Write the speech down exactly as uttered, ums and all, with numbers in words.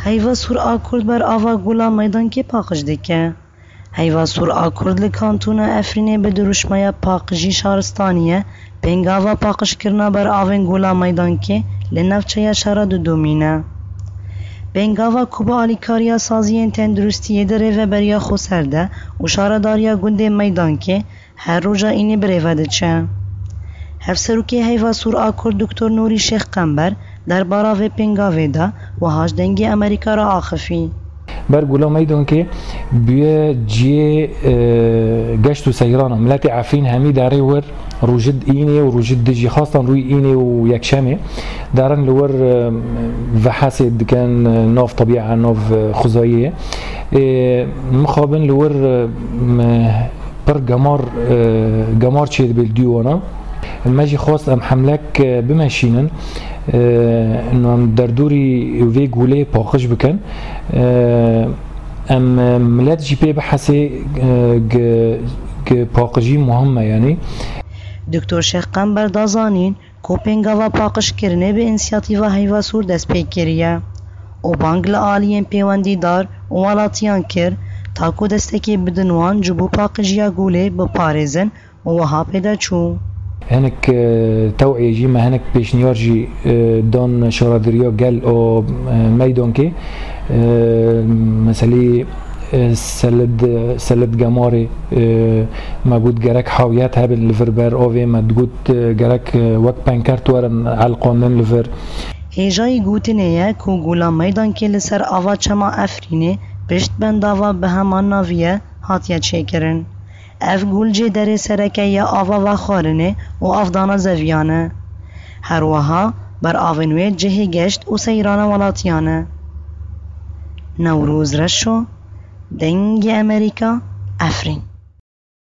Heyva Sûr a Kurd ber ava Gula Meydankê paqij dike. Heyva Sûr a Kurd li Kantona Efrînê bi dirûşmeya paqijî şaristaniye pêngava paqijkirina ber avên Gula Meydankê li navçeya şara didomîne. Pêngava ku bi alîkariya saziyên tenduristiyê di rêveberiya xweser de û şaredariya gundê Meydankê her roja înê bi rêve diçe. Hevserokê Heyva Sûr a Kurd Doktor Nûrî Şêx Qember derbara vê pêngavê de wiha ji Dengê Amerîka re axifî. Ber Gula Meydankê bûye cihê, e, geşt û seyrana. Miletê Efrîn hemî derê wir rûjid înê û rûjid dijî, xastan rûyê înê û yekşemê derin li wir, e, vehesê dikin, e, nav tebîa, nav, e, xwezayiyê. E, mixabin li wir, e, m-, pir gemar, e, gemar çêdibe li dû wana. Me jî xwest em hemlek, e, bimeşînin, e, em derdorî vê gulê paqij bikin. E, em, e, milet jî pê bihesê, e, gi, gi paqijî muhim e, yanî. Doktor Şêx Qember da zanîn ku pêngava paqijkirinê bi însiyatîva Heyva Sûr dest pê kiriye û bang li aliyên pêwendîdar û welatiyan kir, ta ku destekê bidin wan ji bo paqijiya gulê biparêzin û wiha pê de çû. Hinek, e, teweyê jî me hinek pêşniyar jî, e, dan şaredariya gel û, e, Meydankê, e, meselî, e, selid, selid gemarê, e, me got gerek hawiyet hebe li vir ber avê, me digot, e, gerek, e, wek penkert werin elqandin li vir. Hêjayî gotinê ye ku Gula Meydankê li ser ava çema Efrînê pişt bendava bi heman navî ye hatiye çêkirin. Ev gul jê derê sereke ya ava vexwarinê û avdana zeviyan e. Her wiha ber avên wê cihê geşt û seyrana welatiyan e. Newroz Reşo, Dengê Amerîka, Efrîn.